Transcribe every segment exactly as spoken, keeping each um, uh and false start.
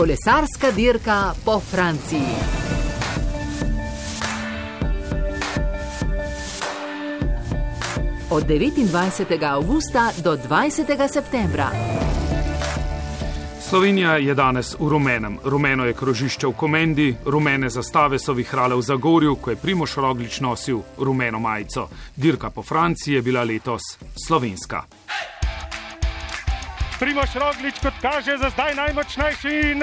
Kolesarska dirka po Franciji. Od devetindvajsetega avgusta do dvajsetega septembra. Slovenija je danes v rumenem. Rumeno je krožišče v Komendi, rumene zastave so vihrale v Zagorju, ko je Primož Roglič nosil rumeno majico. Dirka po Franciji je bila letos slovenska. Primož Roglič, kot kaže, za zdaj najmočnejši in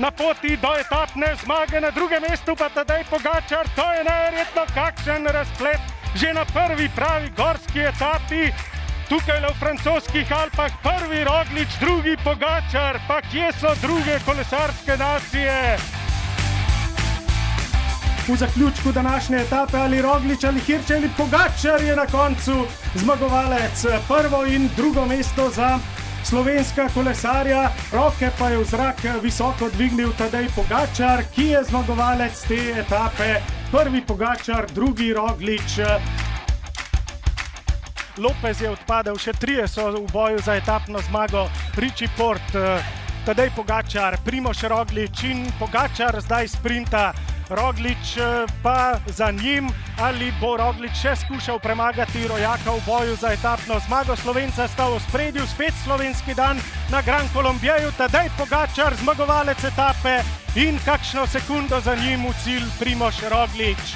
na poti do etapne zmage, na drugem mestu pa Tadej Pogačar. To je neverjetno, kakšen razplet že na prvi pravi gorski etapi. Tukaj v francoskih Alpah prvi Roglič, drugi Pogačar, pa kje so druge kolesarske nacije? V zaključku današnje etape ali Roglič ali Hirš ali Pogačar je na koncu zmagovalec. Prvo in drugo mesto za slovenska kolesarja, roke pa je v zrak visoko dvignil Tadej Pogačar, ki je zmagovalec te etape. Prvi Pogačar, drugi Roglič. Lopez je odpadel, še trije so v boju za etapno zmago. Richie Porte, Tadej Pogačar, Primož Roglič in Pogačar zdaj sprinta. Roglič pa za njim, ali bo Roglič še skušal premagati rojaka v boju za etapno zmago. Slovenca sta v ospredju, spet slovenski dan na Gran Colombijeju. Tadej Pogačar, zmagovalec etape in kakšno sekundo za njim v cilj Primož Roglič.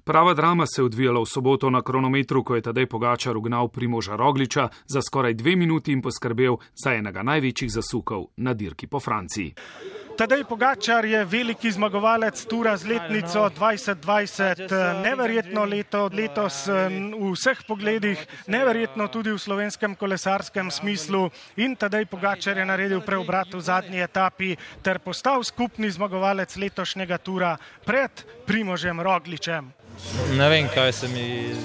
Prava drama se je odvijala v soboto na kronometru, ko je Tadej Pogačar ugnal Primoža Rogliča za skoraj dve minuti in poskrbel za enega največjih zasukov na dirki po Franciji. Tadej Pogačar je veliki zmagovalec tura z letnico dvajset dvajset. Neverjetno leto, letos v vseh pogledih, neverjetno tudi v slovenskem kolesarskem smislu. In Tadej Pogačar je naredil preobrat v zadnji etapi ter postal skupni zmagovalec letošnjega tura pred Primožem Rogličem. Ne vem, kaj se mi,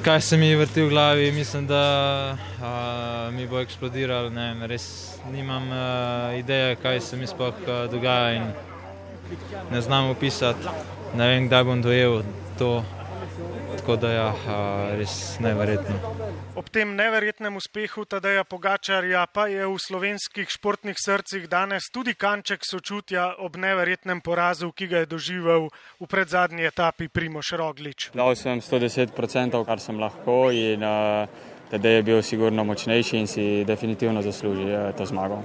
kaj se mi vrti v glavi. Mislim, da a, mi bo eksplodiral. Ne vem, res nimam a, ideje, kaj se mi sploh a, dogaja in ne znam opisati. Ne vem, kdaj bom dojel to. Tako da ja, a, res neverjetno. Ob tem neverjetnem uspehu Tadeja Pogačarja pa je v slovenskih športnih srcih danes tudi kanček sočutja ob neverjetnem porazu, ki ga je doživel v predzadnji etapi Primož Roglič. Dal sem sto deset procentov, kar sem lahko, in uh, Tadej je bil sigurno močnejši in si definitivno zasluži uh, to zmago.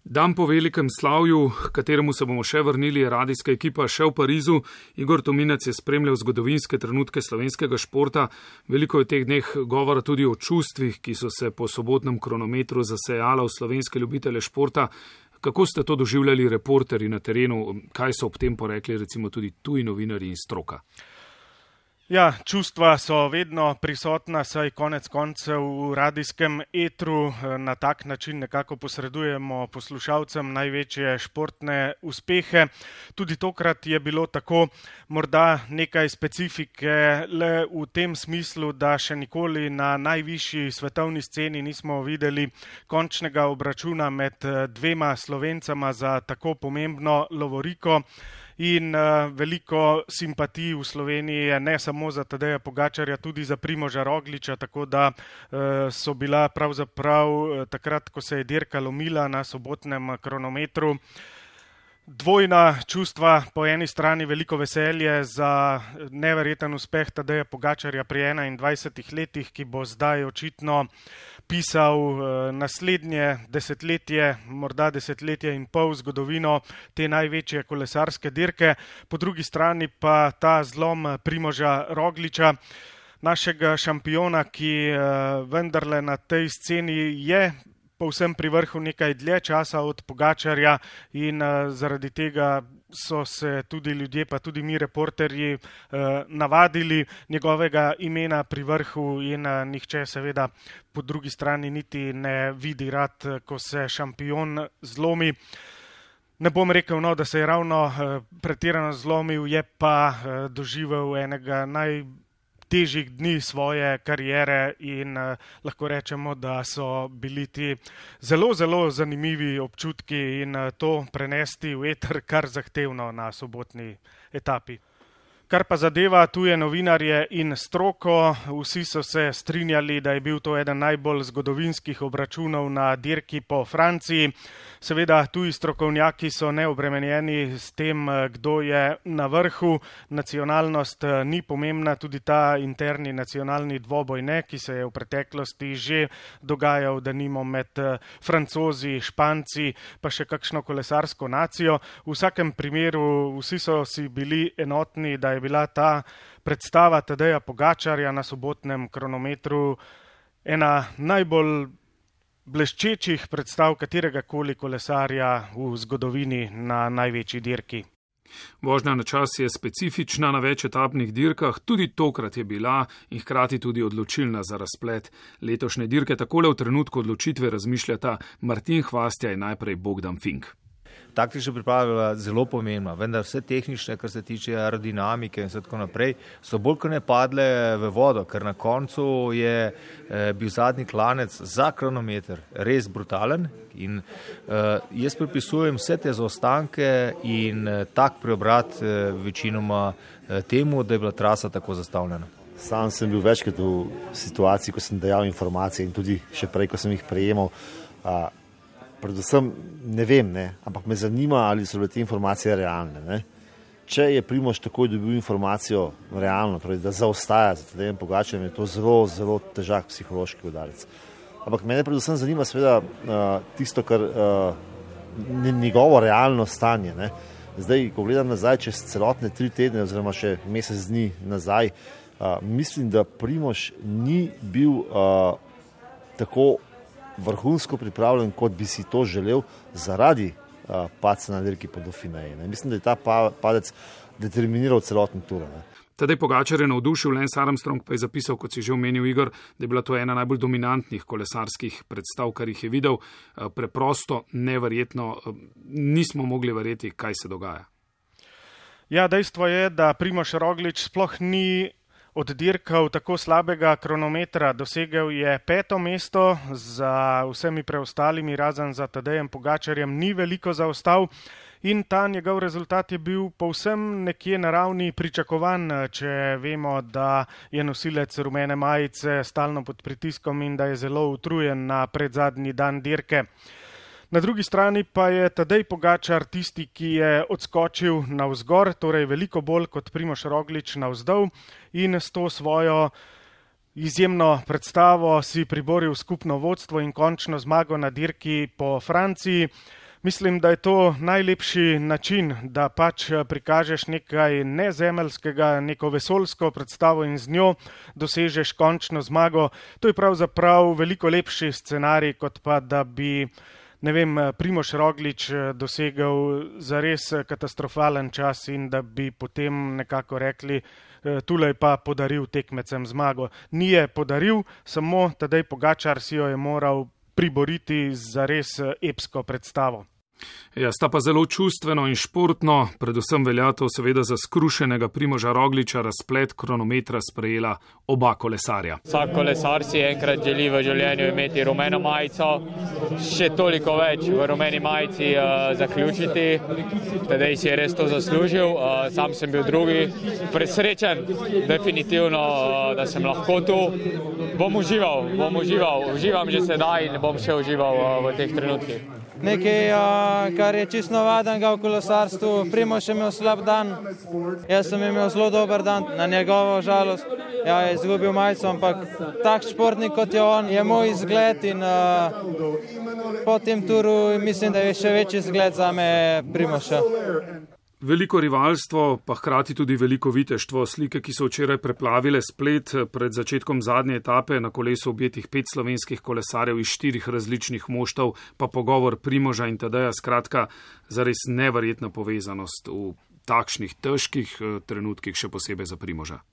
Dan po velikem slavju, kateremu se bomo še vrnili, je radijska ekipa še v Parizu. Igor Tominec je spremljal zgodovinske trenutke slovenskega športa. Veliko je v teh dneh govora tudi o čustvih, ki so se po sobotnem kronometru zasejala v slovenske ljubitele športa. Kako ste to doživljali reporterji na terenu? Kaj so ob tem porekli recimo tudi tuji novinarji in stroka? Ja, čustva so vedno prisotna, saj konec koncev v radijskem etru na tak način nekako posredujemo poslušalcem največje športne uspehe. Tudi tokrat je bilo tako, morda nekaj specifike le v tem smislu, da še nikoli na najvišji svetovni sceni nismo videli končnega obračuna med dvema Slovencama za tako pomembno lovoriko. In uh, veliko simpatij v Sloveniji je ne samo za Tadeja Pogačarja, tudi za Primoža Rogliča, tako da uh, so bila pravzaprav uh, takrat, ko se je dirka lomila na sobotnem kronometru, dvojna čustva. Po eni strani veliko veselje za neverjeten uspeh Tadeja Pogačarja pri enaindvajsetih letih, ki bo zdaj očitno pisal naslednje desetletje, morda desetletje in pol zgodovino te največje kolesarske dirke. Po drugi strani pa ta zlom Primoža Rogliča, našega šampiona, ki vendarle na tej sceni je povsem pri vrhu nekaj dlje časa od Pogačarja in uh, zaradi tega so se tudi ljudje, pa tudi mi reporterji uh, navadili njegovega imena pri vrhu in uh, nihče seveda po drugi strani niti ne vidi rad, ko se šampion zlomi. Ne bom rekel, no, da se je ravno uh, pretirano zlomil, je pa uh, doživel enega naj težjih dni svoje kariere in uh, lahko rečemo, da so bili ti zelo, zelo zanimivi občutki in uh, to prenesti v eter kar zahtevno na sobotni etapi. Kar pa zadeva tuje novinarje in stroko, vsi so se strinjali, da je bil to eden najbolj zgodovinskih obračunov na dirki po Franciji. Seveda, tuji strokovnjaki so neobremenjeni s tem, kdo je na vrhu. Nacionalnost ni pomembna, tudi ta interni nacionalni dvoboj ne, ki se je v preteklosti že dogajal, da nimo med Francozi, Španci, pa še kakšno kolesarsko nacijo. V vsakem primeru vsi so si bili enotni, da je bila ta predstava Tadeja Pogačarja na sobotnem kronometru ena najbolj bleščečih predstav kateregakoli kolesarja v zgodovini na največji dirki. Vožnja na čas je specifična na več etapnih dirkah, tudi tokrat je bila in hkrati tudi odločilna za razplet letošnje dirke. Takole v trenutku odločitve razmišljata Martin Hvastija in najprej Bogdan Fink. Taktična priprava je bila zelo pomembna, vendar vse tehnične, kar se tiče aerodinamike in tako naprej, so bolj kot ne padle v vodo, ker na koncu je eh, bil zadnji klanec za kronometer res brutalen in eh, jaz pripisujem vse te zaostanke in eh, tak preobrat eh, večinoma eh, temu, da je bila trasa tako zastavljena. Sam sem bil večkrat v situaciji, ko sem dajal informacije in tudi še prej, ko sem jih prejemal. A, Predvsem ne vem, ne, ampak me zanima, ali so bile te informacije realne. Ne. Če je Primož takoj dobil informacijo realno, torej da zaostaja za Tadejem Pogačarjem, je to zelo, zelo težak psihološki udarec. Ampak mene predvsem zanima seveda uh, tisto, kar uh, njegovo realno stanje. Ne. Zdaj, ko gledam nazaj čez celotne tri tedne oziroma še mesec dni nazaj, uh, mislim, da Primož ni bil uh, tako vrhunsko pripravljen, kot bi si to želel zaradi uh, padca na dirki po Dauphineji. Mislim, da je ta pa, padec determiniral celoten tur. Ne. Tadej Pogačar je navdušil, Lance Armstrong pa je zapisal, kot si že omenil, Igor, da je bila to ena najbolj dominantnih kolesarskih predstav, kar jih je videl. Uh, preprosto, neverjetno, uh, nismo mogli verjeti, kaj se dogaja. Ja, dejstvo je, da Primož Roglič sploh ni oddirkal tako slabega kronometra, dosegel je peto mesto, za vsemi preostalimi, razen za Tadejem Pogačarjem, ni veliko zaostal in ta njegov rezultat je bil povsem nekje na ravni pričakovan, če vemo, da je nosilec rumene majice stalno pod pritiskom in da je zelo utrujen na predzadnji dan dirke. Na drugi strani pa je Tadej Pogačar tisti, ki je odskočil navzgor, torej veliko bolj kot Primož Roglič navzdol in s to svojo izjemno predstavo si priboril skupno vodstvo in končno zmago na dirki po Franciji. Mislim, da je to najlepši način, da pač prikažeš nekaj nezemeljskega, neko vesoljsko predstavo in z njo dosežeš končno zmago. To je pravzaprav veliko lepši scenarij, kot pa da bi ne vem, Primož Roglič dosegel zares katastrofalen čas in da bi potem nekako rekli, tulej pa podaril tekmecem zmago. Ni je podaril, samo Tadej Pogačar si jo je moral priboriti zares epsko predstavo. Ja, sta pa zelo čustveno in športno, predvsem velja to seveda za skrušenega Primoža Rogliča, razplet kronometra sprejela oba kolesarja. Vsak kolesar si enkrat želi v življenju imeti rumeno majico, še toliko več v rumeni majici uh, zaključiti. Tadej si je res to zaslužil, uh, sam sem bil drugi. Presrečen, definitivno, uh, da sem lahko tu. Bom užival, bom užival, uživam že sedaj in bom še užival uh, v teh trenutkih. Nekaj, kar je čisto navadenega v kolesarstvu. Primož je imel slab dan, jaz sem imel zelo dober dan, na njegovo žalost. Ja, je izgubil majico, ampak tak športnik kot je on, je moj izgled in uh, po tem turu mislim, da je še večji izgled za me Primoža. Veliko rivalstvo, pa hkrati tudi veliko viteštvo. Slike, ki so včeraj preplavile splet pred začetkom zadnje etape, na kolesu objetih pet slovenskih kolesarjev iz štirih različnih moštev, pa pogovor Primoža in Tadeja, skratka, zares neverjetna povezanost v takšnih težkih trenutkih, še posebej za Primoža.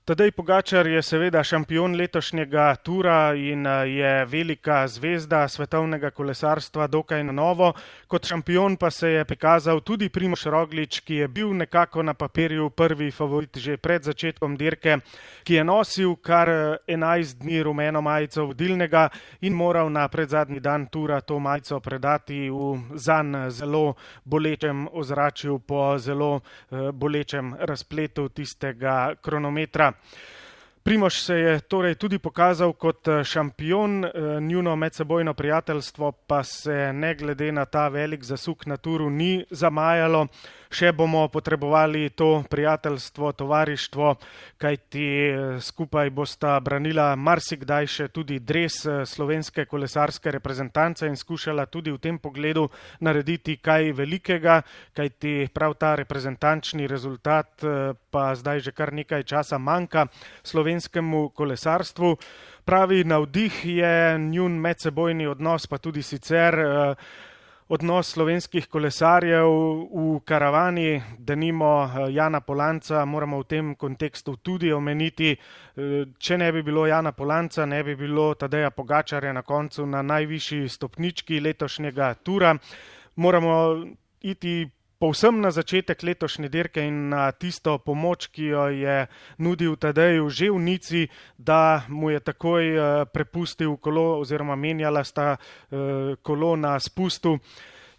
Tadej Pogačar je seveda šampion letošnjega tura in je velika zvezda svetovnega kolesarstva dokaj na novo. Kot šampion pa se je prikazal tudi Primož Roglič, ki je bil nekako na papirju prvi favorit že pred začetkom dirke, ki je nosil kar enajst dni rumeno majico vodilnega in moral na predzadnji dan tura to majico predati v zanj zelo bolečem ozračju po zelo bolečem razpletu tistega kronometra. Primož se je torej tudi pokazal kot šampion, njuno medsebojno prijateljstvo pa se ne glede na ta velik zasuk na turu ni zamajalo. Še bomo potrebovali to prijateljstvo, tovarištvo, kajti skupaj bosta branila marsikdaj še tudi dres slovenske kolesarske reprezentance in skušala tudi v tem pogledu narediti kaj velikega, kajti prav ta reprezentančni rezultat pa zdaj že kar nekaj časa manjka slovenskemu kolesarstvu. Pravi navdih je njun medsebojni odnos, pa tudi sicer odnos slovenskih kolesarjev v karavani, denimo Jana Polanca, moramo v tem kontekstu tudi omeniti. Če ne bi bilo Jana Polanca, ne bi bilo Tadeja Pogačarja na koncu na najvišji stopnički letošnjega tura. Moramo iti povsem na začetek letošnje dirke in na tisto pomoč, ki jo je nudil Tadeju že v Nici, da mu je takoj prepustil kolo oziroma menjala sta kolo na spustu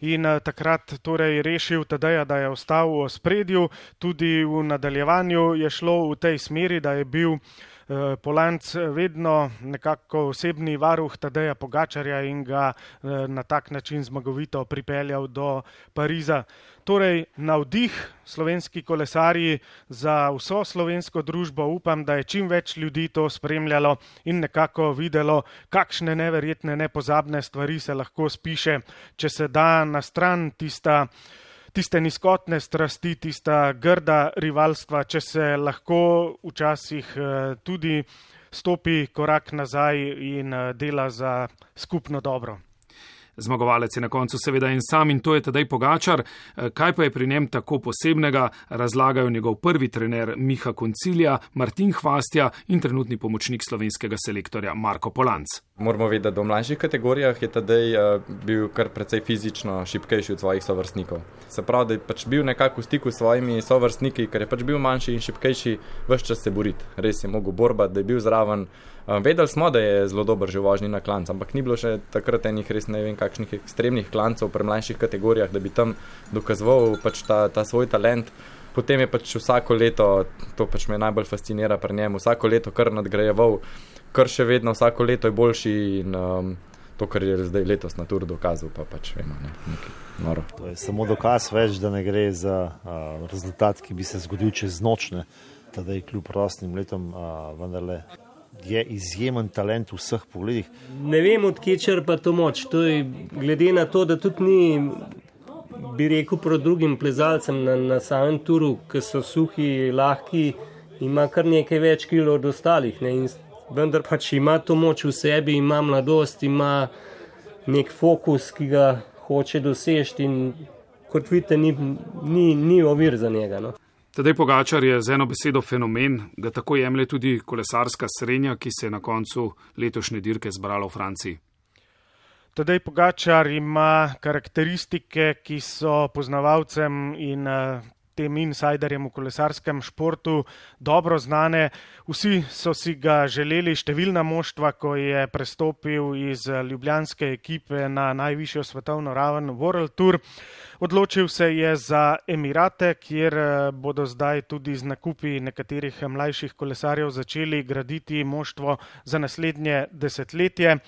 in takrat torej rešil Tadeja, da je ostal v ospredju. Tudi v nadaljevanju je šlo v tej smeri, da je bil Polanc vedno nekako osebni varuh Tadeja Pogačarja in ga na tak način zmagovito pripeljal do Pariza. Torej, navdih slovenski kolesarji za vso slovensko družbo, upam, da je čim več ljudi to spremljalo in nekako videlo, kakšne neverjetne, nepozabne stvari se lahko spiše, če se da na stran tista tiste nizkotne strasti, tista grda rivalstva, če se lahko včasih tudi stopi korak nazaj in dela za skupno dobro. Zmagovalec je na koncu seveda en sam in to je Tadej Pogačar. Kaj pa je pri njem tako posebnega, razlagajo njegov prvi trener Miha Koncilija, Martin Hvastja in trenutni pomočnik slovenskega selektorja Marko Polanc. Moramo vedeti, da v mlajših kategorijah je Tadej bil kar precej fizično šibkejši od svojih sovrstnikov. Se pravi, da je pač bil nekako v stiku s svojimi sovrstniki, ker je pač bil manjši in šibkejši, ves čas se boriti. Res je mogel borbati, da je bil zraven. Vedeli smo, da je zelo dober že v vožnji na klanc, ampak ni bilo še takrat enih res ne vem kakšnih ekstremnih klancov pri mlajših kategorijah, da bi tam dokazoval pač ta, ta svoj talent. Potem je pač vsako leto, to pač me najbolj fascinira pri njemu, vsako leto kar nadgrajeval, kar še vedno vsako leto je boljši in um, to, kar je zdaj letos na Tour dokazal, pa pač vemo, ne, nekaj noro. To je samo dokaz več, da ne gre za uh, rezultat, ki bi se zgodil čez noč, ne, tadej kljub rosnim letom uh, vendarle je izjemen talent v vseh pogledih. Ne vem, od kje črpa to moč. To je glede na to, da tudi ni, bi rekel, proti drugim plezalcem na, na samem turu, ki so suhi, lahki, ima kar nekaj več kilo od ostalih. Ne? In vendar pač ima to moč v sebi, ima mladost, ima nek fokus, ki ga hoče dosežiti in kot vidite, ni, ni, ni ovir za njega. No? Tadej Pogačar je z eno besedo fenomen, ga tako jemlje tudi kolesarska srenja, ki se je na koncu letošnje dirke zbrala v Franciji. Tadej Pogačar ima karakteristike, ki so poznavalcem in tem insajderjem v kolesarskem športu dobro znane. Vsi so si ga želeli, številna moštva, ko je prestopil iz ljubljanske ekipe na najvišjo svetovno raven World Tour. Odločil se je za Emirate, kjer bodo zdaj tudi z nakupi nekaterih mlajših kolesarjev začeli graditi moštvo za naslednje desetletje.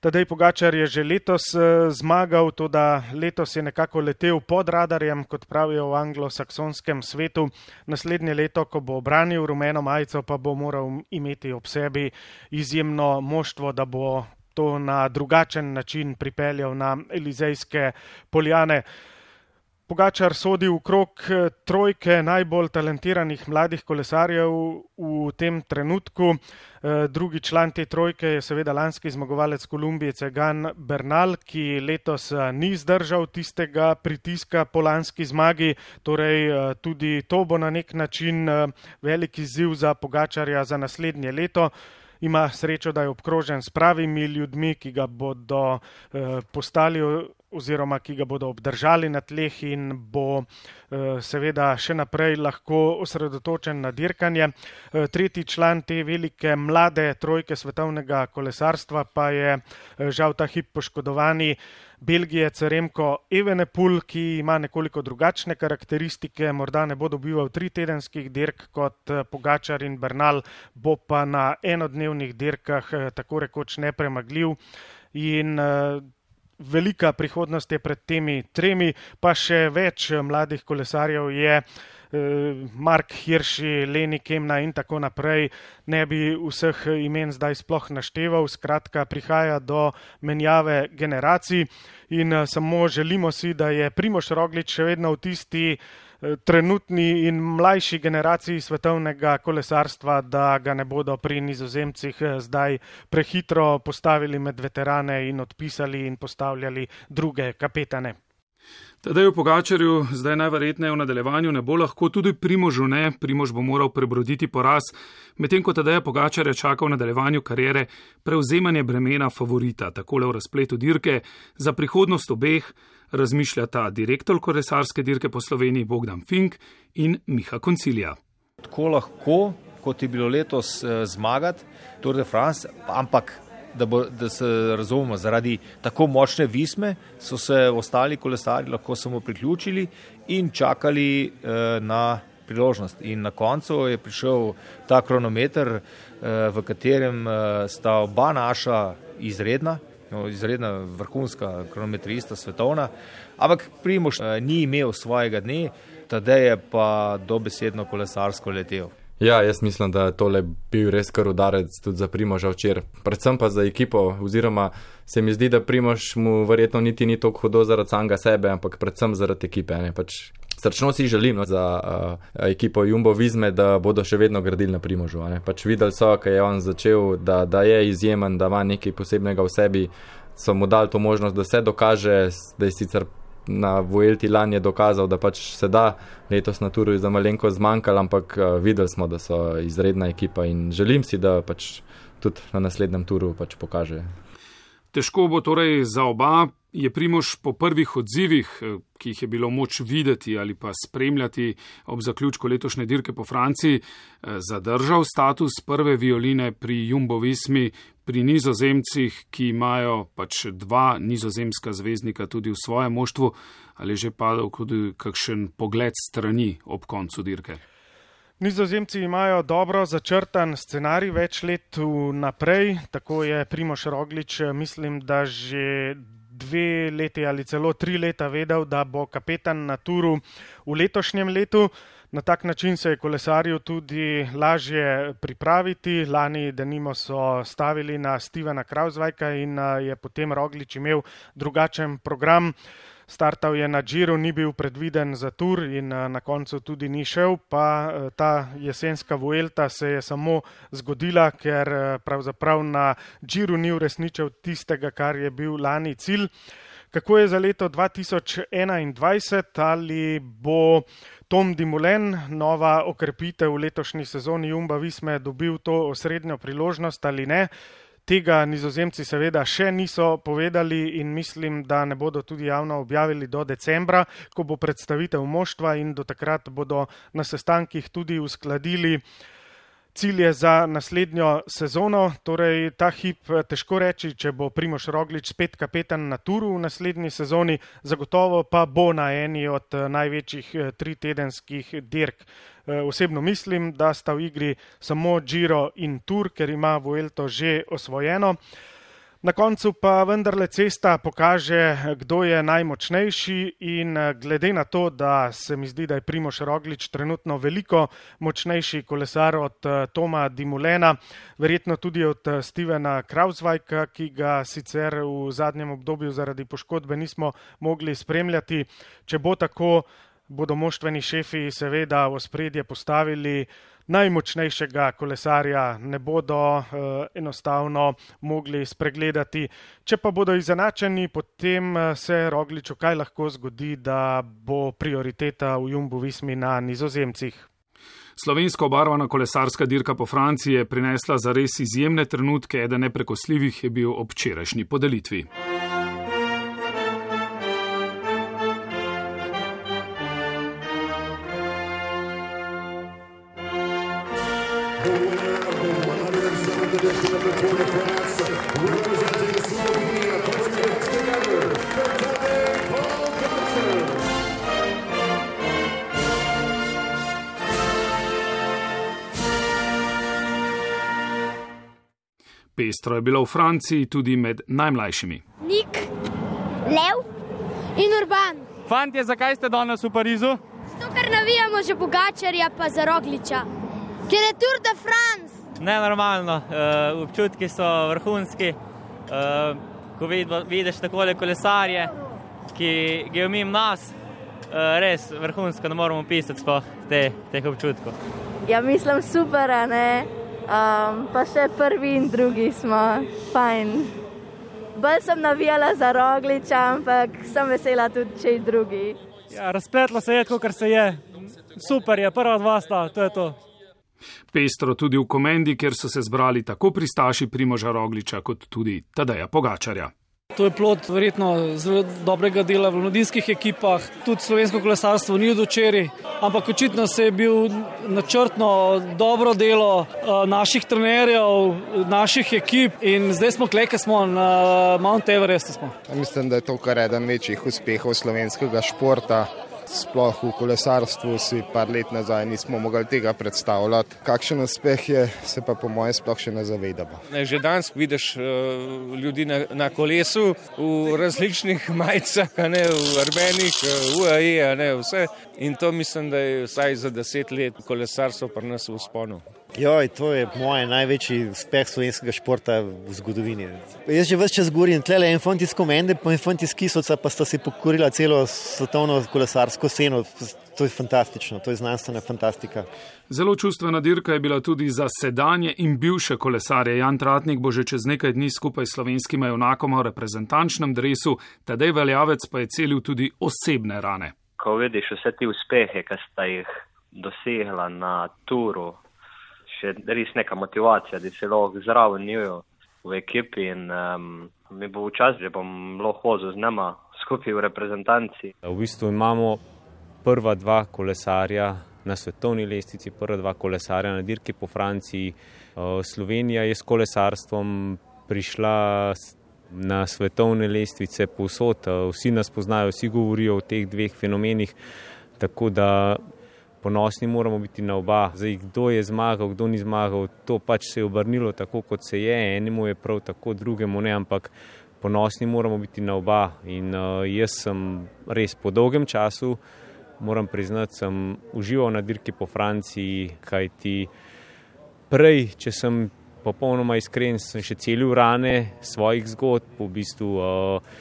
Tadej Pogačar je že letos zmagal, toda letos je nekako letel pod radarjem, kot pravijo v anglosaksonskem svetu. Naslednje leto, ko bo obranil rumeno majico, pa bo moral imeti ob sebi izjemno moštvo, da bo to na drugačen način pripeljal na Elizejske poljane. Pogačar sodi v krog trojke najbolj talentiranih mladih kolesarjev v tem trenutku. Drugi član te trojke je seveda lanski zmagovalec Kolumbije Egan Bernal, ki letos ni zdržal tistega pritiska po lanski zmagi. Torej tudi to bo na nek način velik izziv za Pogačarja za naslednje leto. Ima srečo, da je obkrožen s pravimi ljudmi, ki ga bodo postali oziroma ki ga bodo obdržali na tleh in bo seveda še naprej lahko osredotočen na dirkanje. Tretji član te velike mlade trojke svetovnega kolesarstva pa je žal ta hip poškodovani Belgijec Remko Evenepoel, ki ima nekoliko drugačne karakteristike, morda ne bo dobival tri tedenskih dirk kot Pogačar in Bernal, bo pa na enodnevnih dirkah tako rekoč nepremagljiv in velika prihodnost je pred temi tremi, pa še več mladih kolesarjev je, Mark Hirschi, Leni Kemna in tako naprej, ne bi vseh imen zdaj sploh našteval, skratka prihaja do menjave generacij in samo želimo si, da je Primož Roglič še vedno v tisti trenutni in mlajši generaciji svetovnega kolesarstva, da ga ne bodo pri Nizozemcih zdaj prehitro postavili med veterane in odpisali in postavljali druge kapetane. Tadeju Pogačarju zdaj najverjetneje v nadaljevanju ne bo lahko, tudi Primožu ne. Primož bo moral prebroditi poraz, medtem ko Tadeja Pogačarja čaka v nadaljevanju kariere prevzemanje bremena favorita. Takole v razpletu dirke za prihodnost obeh razmišljata direktor kolesarske dirke po Sloveniji Bogdan Fink in Miha Koncilija. Tako lahko, kot je bilo letos zmagati Tour de France, ampak Da, bo, da se razumemo, zaradi tako močne visme so se ostali kolesarji lahko samo priključili in čakali eh, na priložnost. In na koncu je prišel ta kronometer, eh, v katerem eh, sta oba naša izredna, no, izredna vrhunska kronometrista svetovna, ampak Primož eh, ni imel svojega dne, Tadej je pa dobesedno kolesarsko letel. Ja, jaz mislim, da je tole bil res kar udarec tudi za Primoža včeraj. Predvsem pa za ekipo, oziroma se mi zdi, da Primož mu verjetno niti ni toliko hudo zaradi samega sebe, ampak predvsem zaradi ekipe. Ne? Pač srčno si želim no, za uh, ekipo Jumbo Visme, da bodo še vedno gradili na Primožu. Ne? Pač videli so, kaj je on začel, da, da je izjemen, da ima nekaj posebnega v sebi, so mu dali to možnost, da se dokaže, da je sicer na Vuelti lani je dokazal, da pač se da, letos na Turu je za malenko zmanjkal, ampak uh, videli smo, da so izredna ekipa in želim si, da pač tudi na naslednjem Turu pač pokaže. Težko bo torej za oba. Je Primož po prvih odzivih, ki jih je bilo moč videti ali pa spremljati ob zaključku letošnje dirke po Franciji, zadržal status prve violine pri Jumbo Vismi, pri Nizozemcih, ki imajo pač dva nizozemska zvezdnika tudi v svojem moštvu, ali že padal tudi kakšen pogled strani ob koncu dirke? Nizozemci imajo dobro začrtan scenarij več let vnaprej, tako je Primož Roglič, mislim, da že dve leti ali celo tri leta vedel, da bo kapetan na Turu v letošnjem letu. Na tak način se je kolesarju tudi lažje pripraviti. Lani denimo so stavili na Stevena Kravsvajka in je potem Roglič imel drugačen program. Startal je na Giru, ni bil predviden za Tour in na koncu tudi ni šel, pa ta jesenska Vuelta se je samo zgodila, ker pravzaprav na Giru ni uresničil tistega, kar je bil lani cilj. Kako je za leto dva tisoč enaindvajset, ali bo Tom Dumoulin, nova okrepitev v letošnji sezoni Jumbo Visme, dobil to osrednjo priložnost ali ne? Tega Nizozemci seveda še niso povedali in mislim, da ne bodo tudi javno objavili do decembra, ko bo predstavitev moštva in do takrat bodo na sestankih tudi uskladili cilje za naslednjo sezono. Torej ta hip težko reči, če bo Primož Roglič spet kapetan na Turu v naslednji sezoni, zagotovo pa bo na eni od največjih tritedenskih dirk. Osebno mislim, da sta v igri samo Giro in Tour, ker ima Vuelto že osvojeno. Na koncu pa vendarle cesta pokaže, kdo je najmočnejši in glede na to, da se mi zdi, da je Primož Roglič trenutno veliko močnejši kolesar od Toma Dumoulina, verjetno tudi od Stevena Kruijswijka, ki ga sicer v zadnjem obdobju zaradi poškodbe nismo mogli spremljati. Če bo tako, bodo moštveni šefi seveda v ospredje postavili najmočnejšega kolesarja, ne bodo uh, enostavno mogli spregledati. Če pa bodo izenačeni, potem se Rogliču kaj lahko zgodi, da bo prioriteta v Jumbo Vismi na Nizozemcih. Slovensko obarvana kolesarska dirka po Franciji je prinesla zares izjemne trenutke, eden neprekosljivih je bil ob včerajšnji podelitvi. Pestro je bilo v Franciji tudi med najmlajšimi. Nik, Lev in Urban. Fantje, zakaj ste danes v Parizu? Zato, ker navijamo že Pogačarja pa za Rogliča. Ker je Tour de France. Nenormalno, uh, občutki so vrhunski. Uh, ko vidiš takole kolesarje, ki ga umim nas, uh, res vrhunsko, ne moramo pisati sploh te, teh občutkov. Ja, mislim super, ne? Um, pa še prvi in drugi smo fajn. Bolj sem navijala za Rogliča, ampak sem vesela tudi, če i drugi. Ja, razpletlo se je, kot se je. Super je, prva dva sta, to je to. Pestro tudi v Komendi, kjer so se zbrali tako pristaši Primoža Rogliča, kot tudi Tadeja Pogačarja. To je plod verjetno zelo dobrega dela v mladinskih ekipah. Tudi slovensko kolesarstvo ni od včeraj, ampak očitno se je bil načrtno dobro delo naših trenerjev, naših ekip in zdaj smo kleke smo na Mount Everestu smo. Mislim, da je to kar eden večjih uspehov slovenskega športa. Sploh v kolesarstvu si par let nazaj nismo mogli tega predstavljati. Kakšen uspeh je, se pa po moje sploh še ne zavedamo. Že danes vidiš uh, ljudi na, na kolesu v različnih majicah, ne, v arbenih, U A E, ne, vse. In to mislim, da je vsaj za deset let kolesarstvo pri nas v vzponu. Joj, to je moj največji uspeh slovenskega športa v zgodovini. Jaz že ves čas govorim, tlele en fant iz Komende, pa en fant iz Kisovca, pa sta si pokorila celo svetovno kolesarsko sceno. To je fantastično, to je znanstvena fantastika. Zelo čustvena dirka je bila tudi za sedanje in bivše kolesarje. Jan Tratnik bo že čez nekaj dni skupaj s slovenskima junakoma v reprezentančnem dresu, Tadej Valjavec pa je celil tudi osebne rane. Ko vidiš vse ti uspehe, ki sta jih dosegla na turu, še res neka motivacija, da se lahko zraven njujo v ekipi in um, mi bo včasih, da bom lahko hodil z nama skupaj v reprezentanci. V bistvu imamo prva dva kolesarja na svetovni lestvici, prva dva kolesarja na dirki po Franciji. Slovenija je s kolesarstvom prišla na svetovne lestvice povsod. Vsi nas poznajo, vsi govorijo o teh dveh fenomenih, tako da ponosni moramo biti na oba. Zdaj, kdo je zmagal, kdo ni zmagal, to pač se je obrnilo tako, kot se je. Enemu je prav tako, drugemu ne, ampak ponosni moramo biti na oba. In uh, jaz sem res po dolgem času, moram priznati, sem užival na dirki po Franciji, kajti prej, če sem popolnoma iskren, sem še celil rane svojih zgodb, v bistvu uh,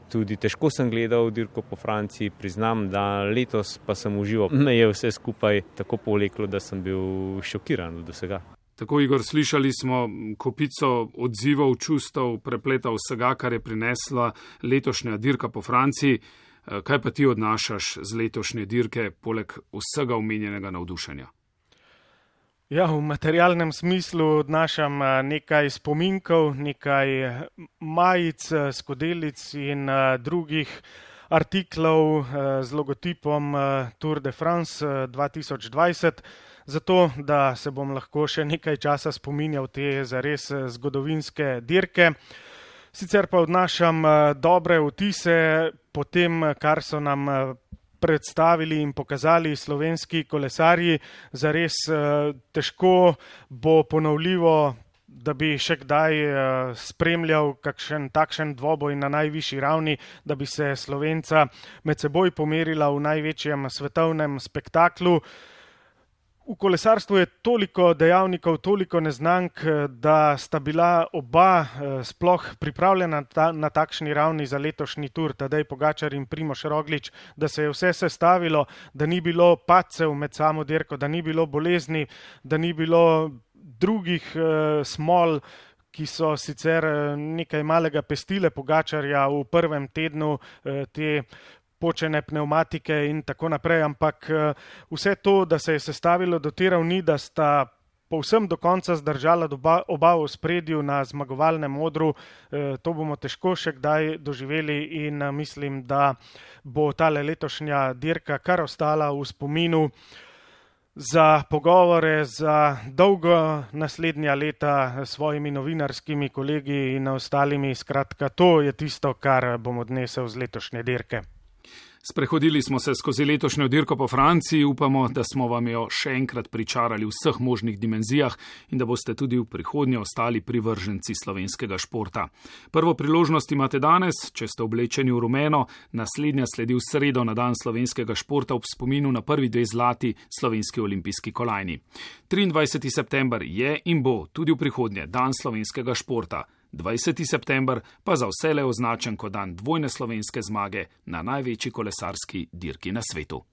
tudi težko sem gledal dirko po Franciji, priznam, da letos pa sem užival. Me je vse skupaj tako povleklo, da sem bil šokiran od vsega. Tako, Igor, slišali smo kopico odzivov, čustev, prepleta vsega, kar je prinesla letošnja dirka po Franciji. Kaj pa ti odnašaš z letošnje dirke, poleg vsega omenjenega navdušenja? Ja, v materialnem smislu odnašam nekaj spominkov, nekaj majic, skodelic in drugih artiklov z logotipom Tour de France dva tisoč dvajset, zato da se bom lahko še nekaj časa spominjal te zares zgodovinske dirke. Sicer pa odnašam dobre vtise po tem, kar so nam predstavili in pokazali slovenski kolesarji. Zares težko bo ponovljivo da bi še kdaj spremljal kakšen takšen dvoboj na najvišji ravni, da bi se Slovenca med seboj pomerila v največjem svetovnem spektaklu. V kolesarstvu je toliko dejavnikov, toliko neznank, da sta bila oba sploh pripravljena ta, na takšni ravni za letošnji tur, Tadej Pogačar in Primož Roglič, da se je vse sestavilo, da ni bilo padcev med samo dirko, da ni bilo bolezni, da ni bilo drugih eh, smol, ki so sicer nekaj malega pestile Pogačarja v prvem tednu eh, te počene pneumatike in tako naprej, ampak vse to, da se je sestavilo do te ravni, da sta povsem do konca zdržala oba, oba v spredju na zmagovalnem odru, to bomo težko še kdaj doživeli in mislim, da bo tale letošnja dirka kar ostala v spominu za pogovore, za dolgo naslednja leta s svojimi novinarskimi kolegi in ostalimi. Skratka, to je tisto, kar bom odnesel z letošnje dirke. Sprehodili smo se skozi letošnjo dirko po Franciji, upamo, da smo vam jo še enkrat pričarali v vseh možnih dimenzijah in da boste tudi v prihodnje ostali privrženci slovenskega športa. Prvo priložnost imate danes, če ste oblečeni v rumeno, naslednja sledi v sredo na dan slovenskega športa ob spominu na prvi dve zlati slovenski olimpijski kolajni. triindvajseti september je in bo tudi v prihodnje dan slovenskega športa. dvajseti september pa za vselej označen kot dan dvojne slovenske zmage na največji kolesarski dirki na svetu.